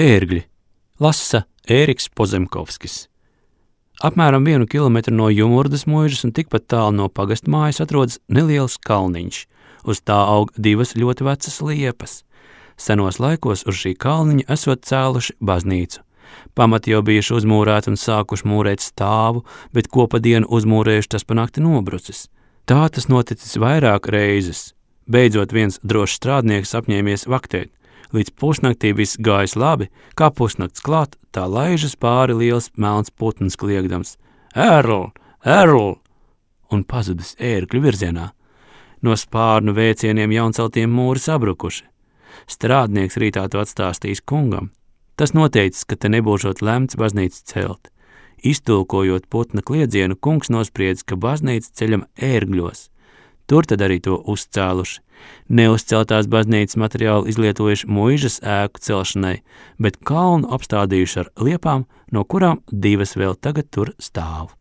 Ērgļi lasa Ēriks Pozemkovskis. Apmēram 1 kilometru no Jumurdas muižas un tikpat tālu no pagastmājas atrodas neliels kalniņš. Uz tā aug 2 ļoti vecas liepas. Senos laikos uz šī kalniņa esot cēluši baznīcu. Pamati jau bijuši uzmūrēti un sākuši mūrēt stāvu, bet ko pa dienu uzmūrējuši, tas pa nakti nobrucis. Tā tas noticis vairāk reizes. Beidzot viens drošs strādnieks apņēmies vaktēt. Līdz pusnaktī viss gājis labi, kā pusnakts klāt, tā laižas pāri liels melns putns kliegdams. Ērl! Ērl! Un pazudis Ērgļu virzienā. No spārnu vēcieniem jaunceltiem mūri sabrukuši. Strādnieks rītā to atstāstījis kungam. Tas noteicis, ka te nebūšot lemts baznīcu celt. Iztulkojot putna kliedzienu, kungs nospriedz, ka baznīca ceļam Ērgļos. Tur tad arī to uzcēluši. Neuzceltās baznīcas materiālu izlietojuši muižas ēku celšanai, bet kalnu apstādījuši ar liepām, no kurām 2 vēl tagad tur stāv.